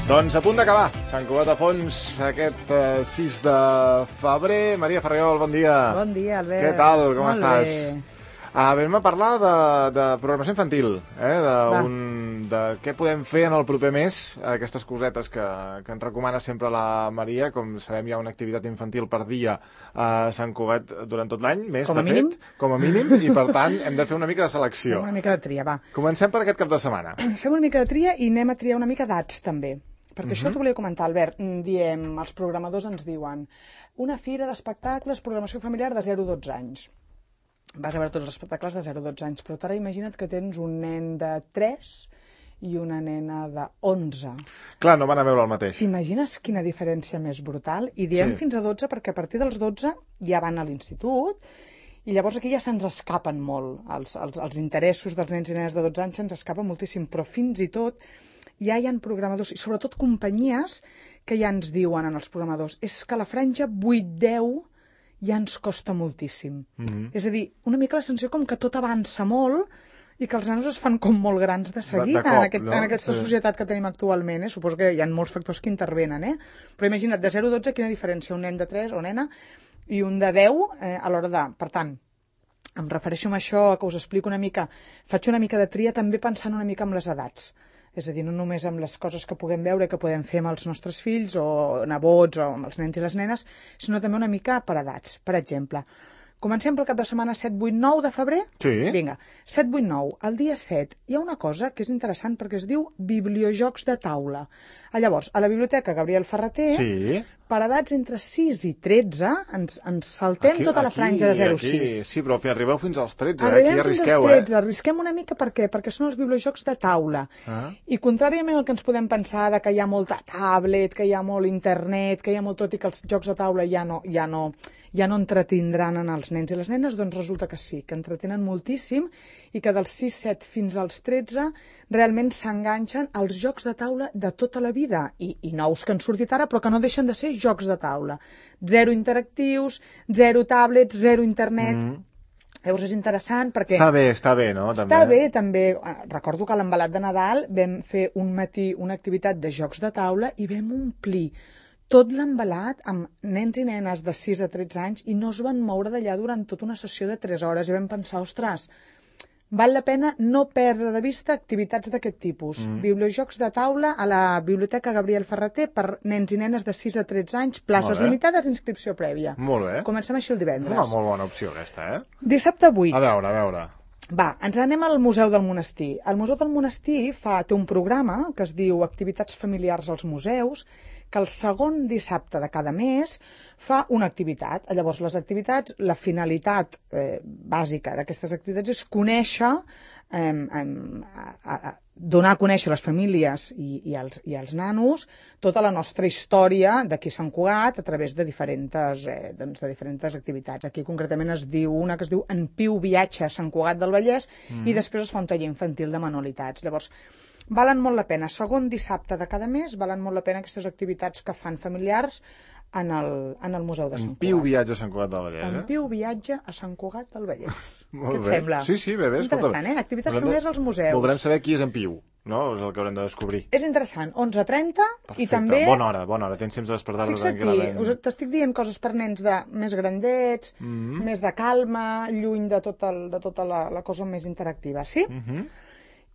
Doncs a punt d'acabar. Sant Cugat a fons aquest 6 de febrer. Maria Ferriol, bon dia. Bon dia, Albert. Què tal? Com Molt estàs? Bé. Anem a parlar de programació infantil, de què podem fer en el proper mes, aquestes cosetes que ens recomana sempre la Maria. Com sabem, hi ha una activitat infantil per dia a Sant Cugat durant tot l'any, més de fet, com a mínim, i per tant hem de fer una mica de selecció. Fem una mica de tria, va. Comencem per aquest cap de setmana. Fem una mica de tria i anem a triar una mica d'ats, també. Perquè això t'ho volia comentar, Albert. Diem, els programadors ens diuen una fira d'espectacles, programació familiar de 0 a 12 anys. Vas a veure tots els espectacles de 0 a 12 anys, però ara imagina't que tens un nen de 3 i una nena de 11. Clar, no van a veure el mateix. T'imagines quina diferència més brutal? I diem fins a 12 perquè a partir dels 12 ja van a l'institut i llavors aquí ja se'ns escapen molt. Els interessos dels nens i nenes de 12 anys se'ns escapen moltíssim, però fins i tot ja hi ha programadors, i sobretot companyies, que ja ens diuen en els programadors és que la franja 8-10 ja ens costa moltíssim. És a dir, una mica la sensació com que tot avança molt i que els nanos es fan com molt grans de seguida en aquesta societat que tenim actualment. Suposo que hi ha molts factors que intervenen, però imagina't, de 0 a 12, quina diferència un nen de 3 o nena i un de 10 a l'hora de... Per tant, em refereixo a això, que us explico una mica, faig una mica de tria també pensant una mica en les edats. És a dir, no només amb les coses que puguem veure, que podem fer amb els nostres fills o nebots o amb els nens i les nenes, sinó també una mica per edats. Per exemple, comencem pel cap de setmana 7, 8, 9 de febrer? Sí. Vinga, 7, 8, 9. El dia 7 hi ha una cosa que és interessant perquè es diu bibliojocs de taula. Llavors, a la Biblioteca Gabriel Ferrater, per edats entre 6 i 13, ens saltem tota la franja de 0 a 6. Sí, però arribeu fins als 13, aquí ja arrisqueu, fins als 13, arrisquem una mica perquè són els bibliojocs de taula. I contràriament al que ens podem pensar de que hi ha molta tablet, que hi ha molt internet, que hi ha molt tot i que els jocs de taula ja no entretindran en els nens i les nenes, doncs resulta que sí, que entretenen moltíssim i que dels 6, 7 fins als 13 realment s'enganxen als jocs de taula de tota la vida i nous que han sortit ara però que no deixen de ser jocs de taula. 0 interactius, 0 tablets, 0 internet... Llavors és interessant perquè... Està bé, no? Està bé, també. Recordo que a l'embalat de Nadal vam fer un matí una activitat de jocs de taula i vam omplir tot l'embalat amb nens i nenes de 6 a 13 anys i no es van moure d'allà durant tota una sessió de 3 hores. I vam pensar, ostres, val la pena no perdre de vista activitats d'aquest tipus. Bibliojocs de taula a la Biblioteca Gabriel Ferrater per nens i nenes de 6 a 13 anys, places limitades, inscripció prèvia. Molt bé. Comencem així el divendres. Una molt bona opció aquesta, Dissabte 8. A veure. Va, ens anem al Museu del Monestir. El Museu del Monestir té un programa que es diu Activitats familiars als museus, que el segon dissabte de cada mes fa una activitat. Llavors, les activitats, la finalitat bàsica d'aquestes activitats és conèixer, donar a conèixer les famílies i als nanos tota la nostra història d'aquí Sant Cugat a través de diferents activitats. Aquí concretament es diu una que es diu En Piu viatge a Sant Cugat del Vallès i després es fa un taller infantil de manualitats. Llavors, valen molt la pena. Segon dissabte de cada mes valen molt la pena aquestes activitats que fan familiars en el Museu de Sant Cugat. En Piu viatge a Sant Cugat del Vallès, En Piu viatge a Sant Cugat del Vallès. Molt Què et bé. sembla? Sí, bé. Interessant, Activitats familiars als museus. Voldrem saber qui és en Piu, no? És el que haurem de descobrir. És interessant. 11:30 i també... Bona hora. Tens temps de despertar-nos tranquil·lament. Fixa't, t'estic dient coses per nens més grandets, més de calma, lluny de tota la cosa més interactiva, sí?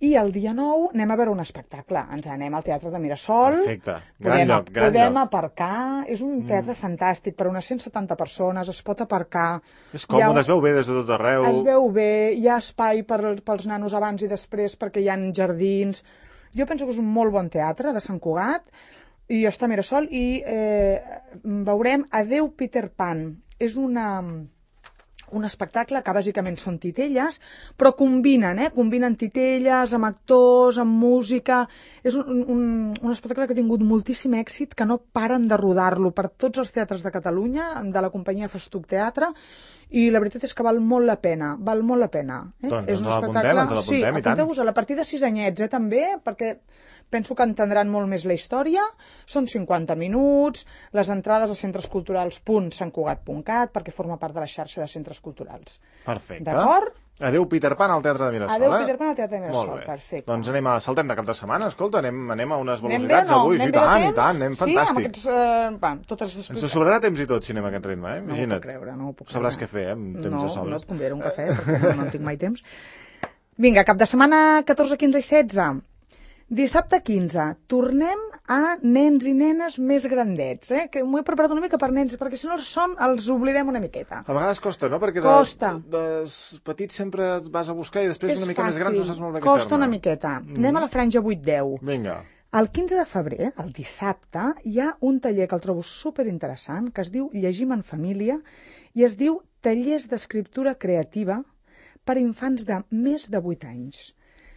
I el dia 9 anem a veure un espectacle. Ens anem al Teatre de Mirasol. Perfecte. Gran lloc. Podem aparcar. És un teatre fantàstic. Per unes 170 persones es pot aparcar. És còmode, es veu bé des de tot arreu. Es veu bé. Hi ha espai pels nanos abans i després perquè hi ha jardins. Jo penso que és un molt bon teatre de Sant Cugat i està a Mirasol i veurem Adeu Peter Pan. És un espectacle que bàsicament són titelles, però combinen titelles amb actors, amb música. És un espectacle que ha tingut moltíssim èxit, que no paren de rodar-lo per tots els teatres de Catalunya, de la companyia Festuc Teatre, i la veritat és que val molt la pena, Doncs és un espectacle... l'apuntem, i tant. Apunteu-vos a partir de 6 anyets, també, perquè penso que entendran molt més la història. Són 50 minuts, les entrades a centresculturals.santcugat.cat, perquè forma part de la xarxa de centres culturals. Perfecte. D'acord? Adéu, Peter Pan, al Teatre de Mirasol. Adéu, Peter Pan, al Teatre de Mirasol, perfecte. Doncs saltem de cap de setmana, escolta, anem a unes velocitats avui, i tant, anem fantàstic. Sí, amb aquests... totes les... Ens sobrarà temps i tot, si anem a aquest ritme, imagina't. No ho puc creure. Sabràs què fer, amb temps de sobres. No et convidaré un cafè, perquè no en tinc mai temps. Vinga, cap de setmana 14, 15 i 16. Dissabte 15, tornem a nens i nenes més grandets, que m'ho he preparat una mica per nens, perquè si no els oblidem una miqueta. A vegades costa, no? Perquè de petits sempre et vas a buscar i després una mica més grans no saps molt bé què fer-ne. Costa una miqueta. Anem a la franja 8-10. Vinga. El 15 de febrer, el dissabte, hi ha un taller que el trobo superinteressant, que es diu Llegim en família, i es diu Tallers d'escriptura creativa per infants de més de 8 anys.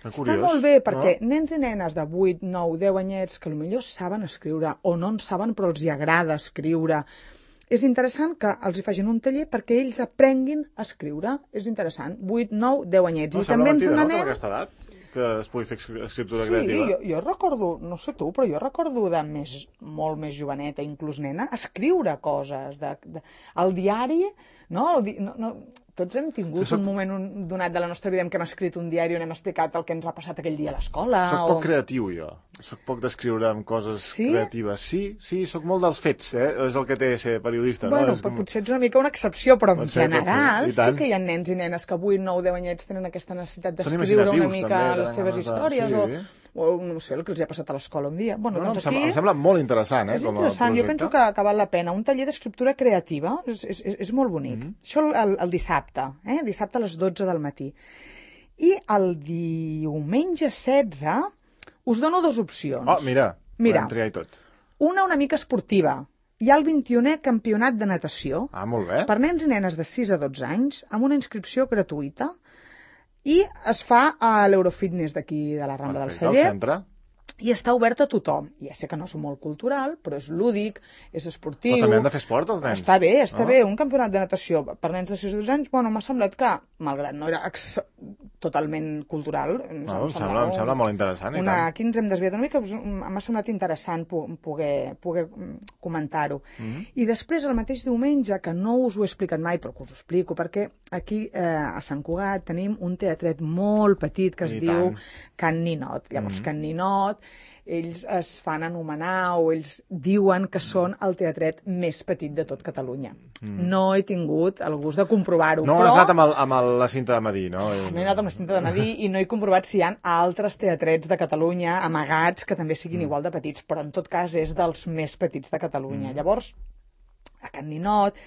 Està molt bé, perquè nens i nenes de 8, 9, 10 anyets que potser saben escriure o no en saben però els hi agrada escriure. És interessant que els hi facin un taller perquè ells aprenguin a escriure. És interessant. 8, 9, 10 anyets. No, sembla mentida, no, amb aquesta edat, que es pugui fer escriptura creativa. Sí, jo recordo, no sé tu, però jo recordo de molt més joveneta, inclús nena, escriure coses. El diari, no? Tots hem tingut un moment donat de la nostra vida en què hem escrit un diari on hem explicat el que ens ha passat aquell dia a l'escola. Soc poc creatiu, jo. Soc poc d'escriure amb coses creatives. Sí, soc molt dels fets, és el que té ser periodista. Bueno, potser ets una mica una excepció, però en general sí que hi ha nens i nenes que 8, 9, 10 anyets tenen aquesta necessitat d'escriure una mica les seves històries o no sé, el que els ha passat a l'escola un dia. Em sembla molt interessant, És interessant, jo penso que val la pena. Un taller d'escriptura creativa és molt bonic. Això el dissabte, dissabte a les 12 del matí. I el diumenge 16 us dono 2 opcions. Oh, mira, podem triar i tot. Una mica esportiva. Hi ha el 21è campionat de natació. Molt bé. Per nens i nenes de 6 a 12 anys, amb una inscripció gratuïta. I es fa a l'Eurofitness d'aquí de la Rambla del Celler. Al centre. I està obert a tothom. Ja sé que no és molt cultural, però és lúdic, és esportiu... Però també han de fer esport, els nens. Està bé. Un campionat de natació per nens de 6 o 12 anys, m'ha semblat que, malgrat no era totalment cultural... Em sembla molt interessant. Aquí ens hem desviat una mica, m'ha semblat interessant poder comentar-ho. I després, el mateix diumenge, que no us ho he explicat mai, però que us ho explico, perquè aquí a Sant Cugat tenim un teatret molt petit que es diu Can Ninot. Llavors, Can Ninot, ells es fan anomenar o ells diuen que són el teatret més petit de tot Catalunya. No he tingut el gust de comprovar-ho. No has anat amb la cinta de medir, no? No he anat amb la cinta de medir i no he comprovat si hi ha altres teatrets de Catalunya amagats que també siguin igual de petits, però en tot cas és dels més petits de Catalunya. Llavors, a Can Ninot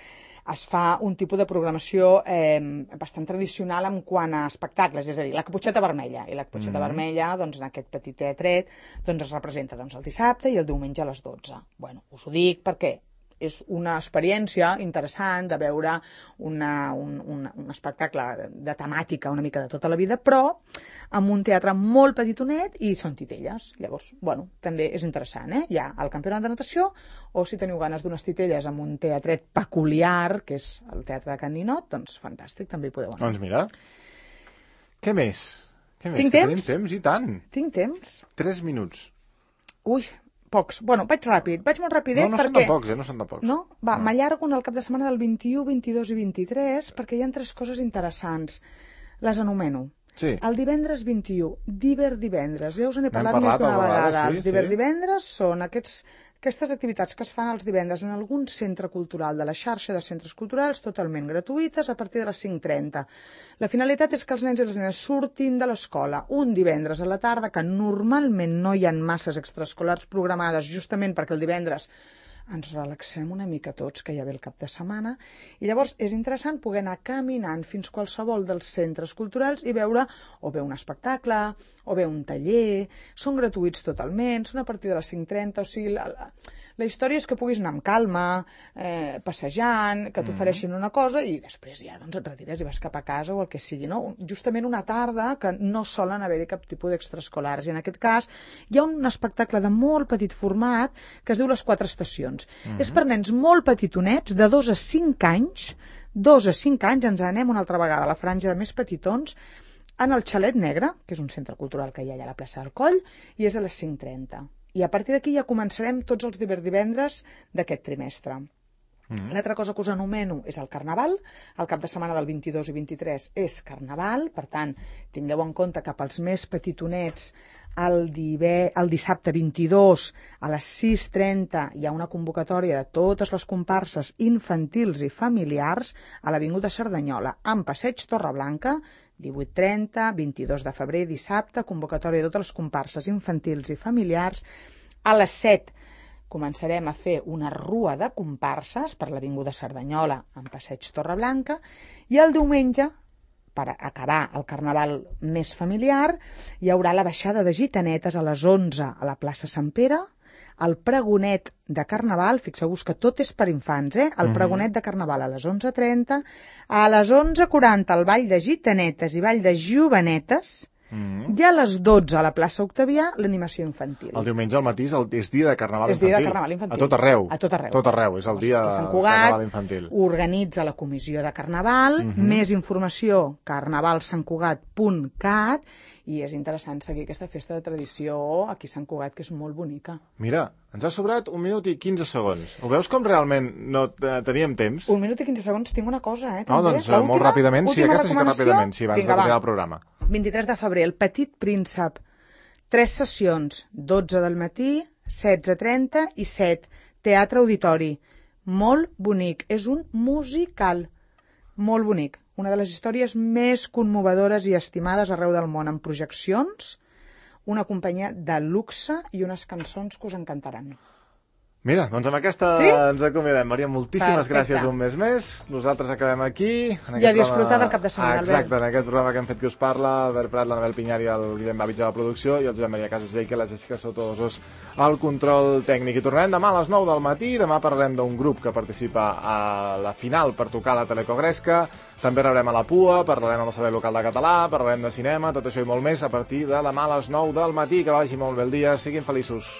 es fa un tipus de programació bastant tradicional en quant a espectacles, és a dir, la Caputxeta Vermella. I la Caputxeta Vermella, doncs, en aquest petit teatret, doncs, es representa el dissabte i el diumenge a les 12. Bueno, us ho dic perquè és una experiència interessant de veure un espectacle de temàtica una mica de tota la vida, però amb un teatre molt petitonet i són titelles. Llavors, bueno, també és interessant, Hi ha el campionat de natació, o si teniu ganes d'unes titelles amb un teatret peculiar, que és el Teatre de Can Ninot, doncs fantàstic, també hi podeu anar. Doncs mira, què més? Tinc temps? Tenim temps, i tant. Tinc temps? 3 minuts. Ui, pocs. Bueno, vaig molt rapidet perquè... No són de pocs. No? M'allargo el cap de setmana del 21, 22 i 23 perquè hi ha 3 coses interessants. Les anomeno. Sí. El divendres 21, divendres. Ja us n'he parlat més d'una vegada. Els divendres són aquestes activitats que es fan els divendres en algun centre cultural de la xarxa de centres culturals totalment gratuïtes a partir de les 5:30. La finalitat és que els nens i les nenes surtin de l'escola un divendres a la tarda, que normalment no hi ha masses extraescolars programades justament perquè el divendres ens relaxem una mica tots, que ja ve el cap de setmana, i llavors és interessant poder anar caminant fins qualsevol dels centres culturals i veure o bé un espectacle, o bé un taller, són gratuïts totalment, són a partir de les 5:30, o sigui, la història és que puguis anar amb calma, passejant, que t'ofereixin una cosa i després ja doncs, et retires i vas cap a casa o el que sigui, no? Justament una tarda que no solen haver-hi cap tipus d'extraescolars, i en aquest cas hi ha un espectacle de molt petit format que es diu Les 4 estacions. És per nens molt petitonets, de 2 a 5 anys, 2 a 5 anys, ens anem una altra vegada a la franja de més petitons, en el Xalet Negre, que és un centre cultural que hi ha allà a la plaça del Coll, i és a les 5:30. I a partir d'aquí ja començarem tots els divendres d'aquest trimestre. L'altra cosa que us anomeno és el Carnaval. El cap de setmana del 22 i 23 és Carnaval, per tant, tingueu en compte que pels més petitonets el dissabte 22 a les 6:30 hi ha una convocatòria de totes les comparses infantils i familiars a l'Avinguda Cerdanyola, amb Passeig Torreblanca, 18:30, 22 de febrer, dissabte, convocatòria de totes les comparses infantils i familiars. A les 7 començarem a fer una rua de comparses per l'Avinguda Cerdanyola amb Passeig Torreblanca i el diumenge, per acabar el Carnaval més familiar, hi haurà la baixada de gitanetes a les 11 a la plaça Sant Pere, el pregonet de Carnaval, fixeu-vos que tot és per infants, el pregonet de Carnaval a les 11:30, a les 11:40 el ball de gitanetes i ball de jovenetes, i a les 12 a la plaça Octavià l'animació infantil. El diumenge al matí és dia de Carnaval infantil. És dia de Carnaval infantil. A tot arreu. A tot arreu. Tot arreu, és el dia de Carnaval infantil. Organitza la comissió de Carnaval, més informació carnavalsantcugat.cat, i és interessant seguir aquesta festa de tradició aquí a Sant Cugat, que és molt bonica. Mira, ens ha sobrat 1 minut i 15 segons. Ho veus com realment no teníem temps? 1 minut i 15 segons, tinc una cosa, també. No, doncs molt ràpidament, sí, aquesta sí que ràpidament, sí, abans de continuar el programa. 23 de febrer, el Petit Príncep. 3 sessions, 12 del matí, 16:30 i 7. Teatre Auditori. Molt bonic. És un musical. Molt bonic. Una de les històries més conmovedores i estimades arreu del món, amb projeccions, una companyia de luxe i unes cançons que us encantaran. Mira, doncs amb aquesta ens acomiadem. Maria, moltíssimes gràcies un mes més. Nosaltres acabem aquí. I a disfrutar del cap de setmana, Albert. Exacte, en aquest programa que hem fet que us parla, Albert Prat, l'Anabel Pinyar i el Guillem Babitz de la producció, i el Josep Maria Casas Llei, que la Jessica Sotodosos al control tècnic. I tornarem demà a les 9 del matí. Demà parlarem d'un grup que participa a la final per tocar la Telecogresca. També rebrem a la PUA, parlarem amb el Servei Local de Català, parlarem de cinema, tot això i molt més a partir de demà a les 9 del matí. Que vagi molt bé el dia, siguin feliços.